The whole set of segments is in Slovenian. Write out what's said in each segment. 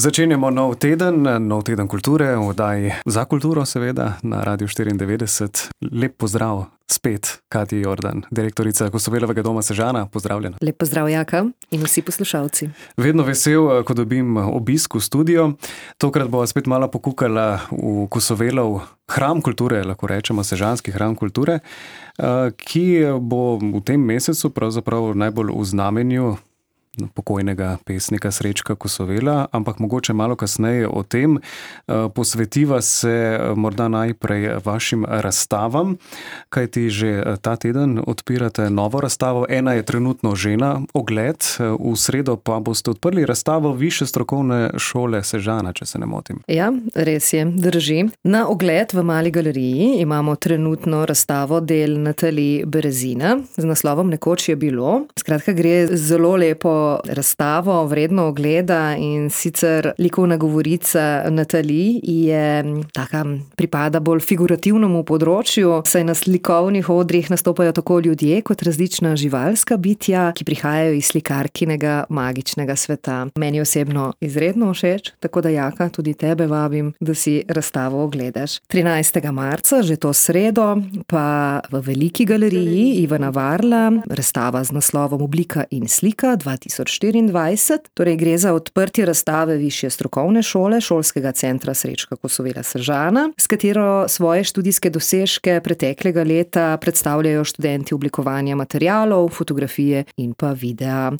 Začenjamo nov teden kulture, v oddaji Za kulturo seveda, na Radiu 94. Lep pozdrav spet, Katja Jordan, direktorica Kosovelovega doma Sežana, pozdravljena. Lep pozdrav, Jaka, in vsi poslušalci. Vedno vesel, ko dobim obisk v studio. Tokrat bova spet malo pokukala v Kosovelov hram kulture, lahko rečemo sežanski hram kulture, ki bo v tem mesecu pravzaprav najbolj v znamenju pokojnega pesnika Srečka Kosovela, ampak mogoče malo kasneje o tem. Posvetiva se morda najprej vašim razstavam, kajti že ta teden odpirate novo razstavo. Ena je trenutno že na ogled, v sredo pa boste odprli razstavo Višje strokovne šole Sežana, če se ne motim. Ja, res je, drži. Na ogled v Mali galeriji imamo trenutno razstavo del Natalije Berezina z naslovom Nekoč je bilo. Skratka, gre zelo lepo razstavo, vredno ogleda, in sicer likovna govorica Natalije je taka, pripada bolj figurativnemu področju, saj na slikovnih odrih nastopajo tako ljudje kot različna živalska bitja, ki prihajajo iz slikarkinega magičnega sveta. Meni osebno izredno všeč, tako da, Jaka, tudi tebe vabim, da si razstavo ogledaš. 13. marca, že to sredo, pa v Veliki galeriji Ivana Varla razstava z naslovom Oblika in slika 2024. Torej gre za odprtje razstave Višje strokovne šole Šolskega centra Srečka Kosovela Sežana, s katero svoje študijske dosežke preteklega leta predstavljajo študenti oblikovanja materialov, fotografije in pa videa.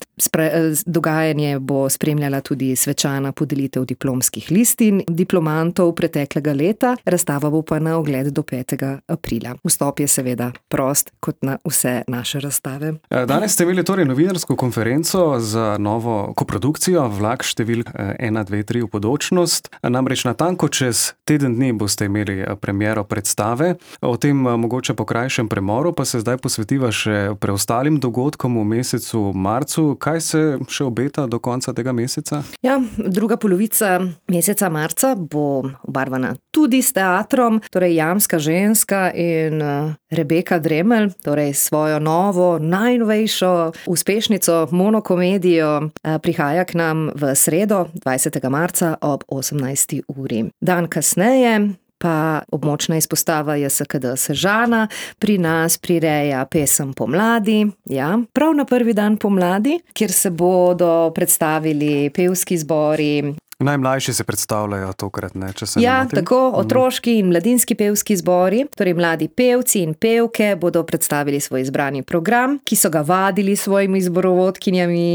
Dogajanje bo spremljala tudi svečana podelitev diplomskih listin diplomantov preteklega leta, razstava bo pa na ogled do 5. aprila. Vstop je seveda prost, kot na vse naše razstave. Danes ste imeli torej novinarsko konferenco za novo koprodukcijo Vlak številk 1, 2, 3 v Podočnost. Namreč natanko čez teden dni boste imeli premiero predstave. O tem mogoče po krajšem premoru pa se zdaj posvetiva še preostalim dogodkom v mesecu marcu. Kaj se še obeta do konca tega meseca? Ja, druga polovica meseca marca bo obarvana tudi s teatrom, torej Jamska ženska in Rebeka Dremelj, torej svojo novo, najnovejšo uspešnico monokomedijo prihaja k nam v sredo, 20. marca ob 18. uri. Dan kasneje pa območna izpostava JSKD Sežana pri nas prireja pesem Pomladi, ja, prav na prvi dan pomladi, kjer se bodo predstavili pevski zbori. Najmlajši se predstavljajo tokrat, ne, če se ne motim. Ja, tako, otroški in mladinski pevski zbori, torej mladi pevci in pevke bodo predstavili svoj izbrani program, ki so ga vadili s svojimi zborovodkinjami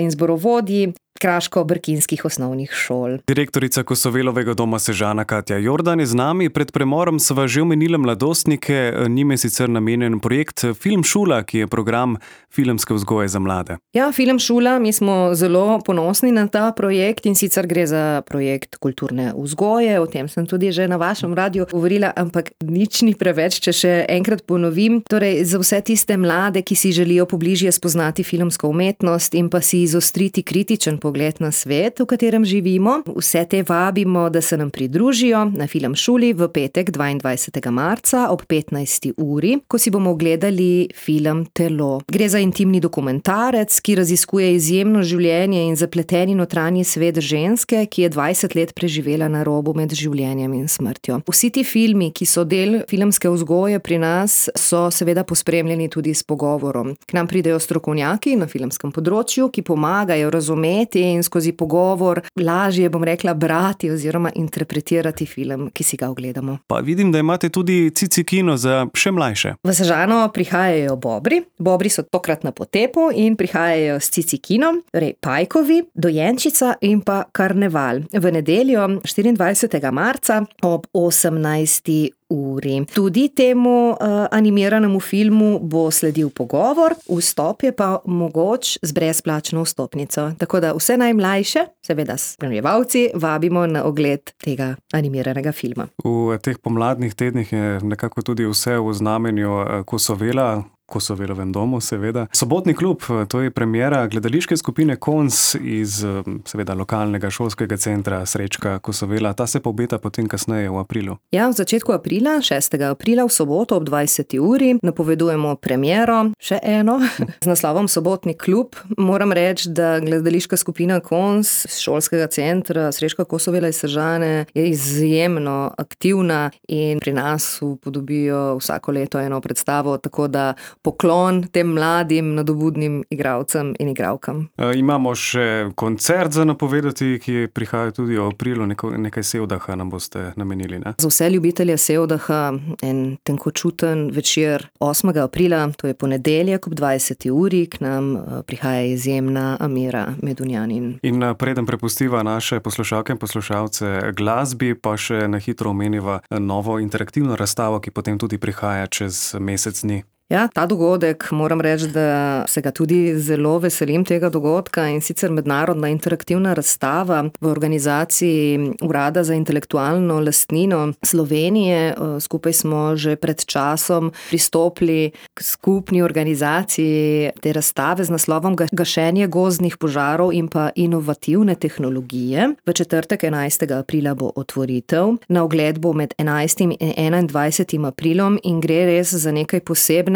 in zborovodji kraško-brkinskih osnovnih šol. Direktorica Kosovelovega doma Sežana Katja Jordan je z nami. Pred premorom sva že omenila mladostnike, njim je sicer namenjen projekt Film Šula, ki je program filmske vzgoje za mlade. Ja, Film Šula, mi smo zelo ponosni na ta projekt, in sicer gre za projekt kulturne vzgoje, o tem sem tudi že na vašem radiju govorila, ampak nič ni preveč, če še enkrat ponovim. Torej, za vse tiste mlade, ki si želijo pobližje spoznati filmsko umetnost in pa si izostriti kritičen pogled na svet, v katerem živimo. Vse te vabimo, da se nam pridružijo na Film Šuli v petek 22. marca ob 15. uri, ko si bomo ogledali film Telo. Gre za intimni dokumentarec, ki raziskuje izjemno življenje in zapleteni notranji svet ženske, ki je 20 let preživela na robu med življenjem in smrtjo. Vsi ti filmi, ki so del filmske vzgoje pri nas, so seveda pospremljeni tudi s pogovorom. K nam pridejo strokovnjaki na filmskem področju, ki pomagajo razumeti in skozi pogovor lažje, bom rekla, brati oziroma interpretirati film, ki si ga ogledamo. Pa vidim, da imate tudi cici kino za še mlajše. V Sežano prihajajo Bobri. Bobri so tokrat na potepu in prihajajo s cici kinom, torej Pajkovi, Dojenčica in pa Karneval. V nedeljo 24. marca ob 18. uri. Tudi temu animiranemu filmu bo sledil pogovor, vstop je pa mogoč z brezplačno vstopnico. Tako da vse najmlajše, seveda spremljevalci, vabimo na ogled tega animiranega filma. V teh pomladnih tednih je nekako tudi vse v znamenju Kosovela. Kosovelovem domu, seveda. Sobotni klub, to je premiera gledališke skupine Kons iz, seveda, lokalnega šolskega centra Srečka Kosovela. Ta se obeta potem kasneje v aprilu. Ja, v začetku aprila, 6. aprila, v soboto ob 20. uri, napovedujemo premiero, še eno, z naslovom Sobotni klub. Moram reči, da gledališka skupina Kons iz šolskega centra Srečka Kosovela iz Sežane je izjemno aktivna in pri nas upodobijo vsako leto eno predstavo, tako da poklon tem mladim, nadobudnim igralcem in igralkam. Imamo še koncert za napovedati, ki prihaja tudi v aprilu, nekaj sevdaha nam boste namenili, ne? Za vse ljubitelje sevdaha en tenkočuten večer 8. aprila, to je ponedeljek ob 20. uri, k nam prihaja izjemna Amira Medunjanin. In preden prepustiva naše poslušalke in poslušalce glasbi, pa še na hitro omeniva novo interaktivno razstavo, ki potem tudi prihaja čez mesec dni. Ja, ta dogodek, moram reči, da se ga tudi zelo veselim tega dogodka, in sicer mednarodna interaktivna razstava v organizaciji Urada za intelektualno lastnino Slovenije. Skupaj smo že pred časom pristopili k skupni organizaciji te razstave z naslovom Gašenje gozdnih požarov in pa inovativne tehnologije. V četrtek 11. aprila bo otvoritev. Na ogled bo med 11. in 21. aprilom in gre res za nekaj posebnega.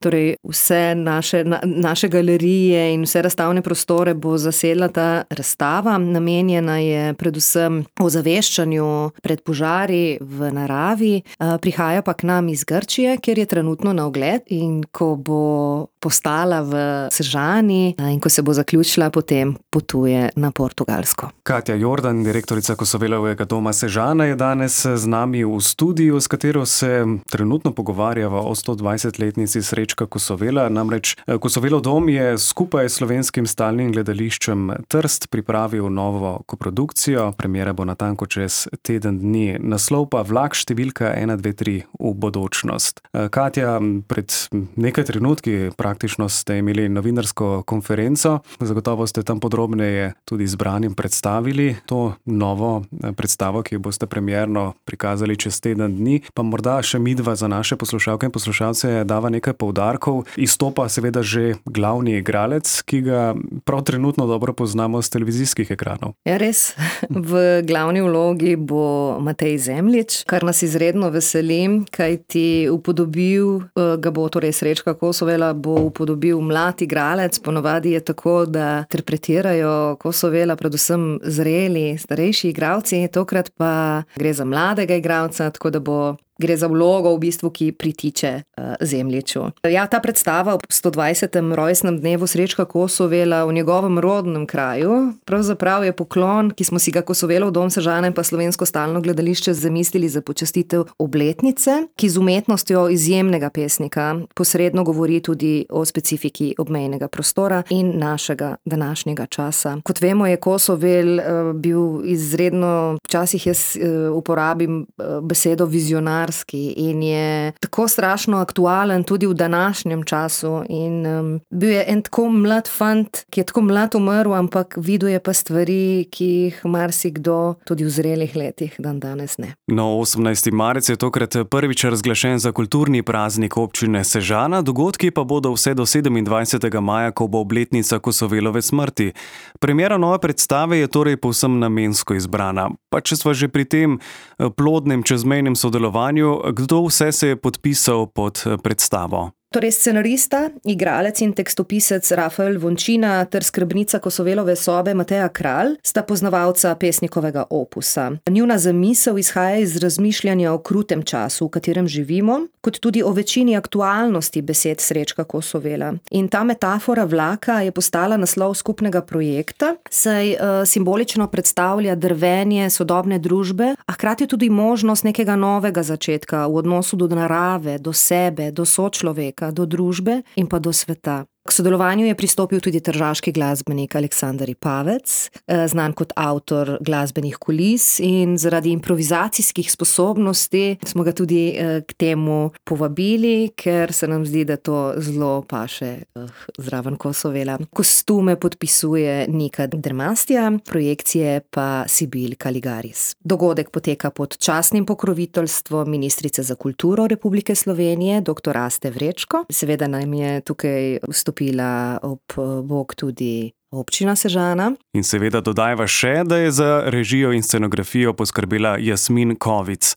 Torej vse naše galerije in vse razstavne prostore bo zasedla ta razstava. Namenjena je predvsem ozaveščanju pred požari v naravi. Prihaja pa k nam iz Grčije, kjer je trenutno na ogled, in ko bo postala v Sežani in ko se bo zaključila, potem potuje na Portugalsko. Katja Jordan, direktorica Kosovelovega doma Sežana, je danes z nami v studiu, s katero se trenutno pogovarjava o 120-letnici Srečka Kosovela. Namreč Kosovelov dom je skupaj s Slovenskim stalnim gledališčem Trst pripravil novo koprodukcijo. Premiera bo natanko čez teden dni. Naslov pa Vlak številka 123 v bodočnost. Katja, pred nekaj trenutki praktično ste imeli novinarsko konferenco. Zagotovo ste tam podrobneje tudi zbranim predstavili to novo predstavo, ki jo boste premierno prikazali čez teden dni. Pa morda še midva za naše poslušalke in poslušalce dava nekaj poudarkov. Izstopa seveda že glavni igralec, ki ga prav trenutno dobro poznamo z televizijskih ekranov. Ja, res. V glavni vlogi bo Matej Zemljič, kar nas izredno veseli, kajti upodobil ga bo, torej Srečka Kosovela bo upodobil mlad igralec. Ponovadi je tako, da interpretirajo Kosovela predvsem zreli, starejši igralci, tokrat pa gre za mladega igralca, tako da gre za vlogo v bistvu, ki pritiče Zemljiču. Ja, ta predstava ob 120. rojstnem dnevu Srečka Kosovela v njegovem rodnem kraju pravzaprav je poklon, ki smo si ga Kosovelov dom Sežana in pa Slovensko stalno gledališče zamislili za počastitev obletnice, ki z umetnostjo izjemnega pesnika posredno govori tudi o specifiki obmejnega prostora in našega današnjega časa. Kot vemo, je Kosovel bil izredno, včasih jaz uporabim besedo vizionar, in je tako strašno aktualen tudi v današnjem času, in bil je en tako mlad fant, ki je tako mlad umrl, ampak videl je pa stvari, ki jih marsikdo tudi v zrelih letih danes ne. No, 18. marec je tokrat prvič razglašen za kulturni praznik občine Sežana, dogodki pa bodo vse do 27. maja, ko bo obletnica Kosovelove smrti. Premiera nove predstave je torej povsem namensko izbrana. Pa če sva že pri tem plodnem čezmejnem sodelovanju, kdo vse se je podpisal pod predstavo? Torej scenarista, igralec in tekstopisec Rafael Vončina ter skrbnica Kosovelove sobe Mateja Kralj sta poznavalca pesnikovega opusa. Njuna zamisel izhaja iz razmišljanja o krutem času, v katerem živimo, kot tudi o večini aktualnosti besed Srečka Kosovela. In ta metafora vlaka je postala naslov skupnega projekta, saj simbolično predstavlja drvenje sodobne družbe, a hkrati tudi možnost nekega novega začetka v odnosu do narave, do sebe, do sočloveka, do družbe in pa do sveta. K sodelovanju je pristopil tudi tržaški glasbenik Aleksander Ipavec, znan kot avtor glasbenih kulis, in zaradi improvizacijskih sposobnosti smo ga tudi k temu povabili, ker se nam zdi, da to zelo paše zraven Kosovela. Kostume podpisuje Nika Dermastja, projekcije pa Sibil Kaligaris. Dogodek poteka pod častnim pokroviteljstvom ministrice za kulturo Republike Slovenije, dr. Aste Vrečko. Seveda nam je tukaj vstopila ob bok tudi občina Sežana. In seveda dodajva še, da je za režijo in scenografijo poskrbela Jasmin Kovic.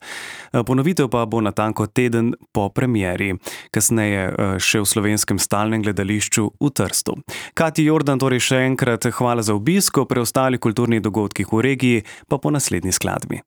Ponovitev pa bo natanko teden po premieri, kasneje še v Slovenskem stalnem gledališču v Trstu. Katji Jordan torej še enkrat hvala za obisk, o preostalih kulturnih dogodkih v regiji pa po naslednji skladbi.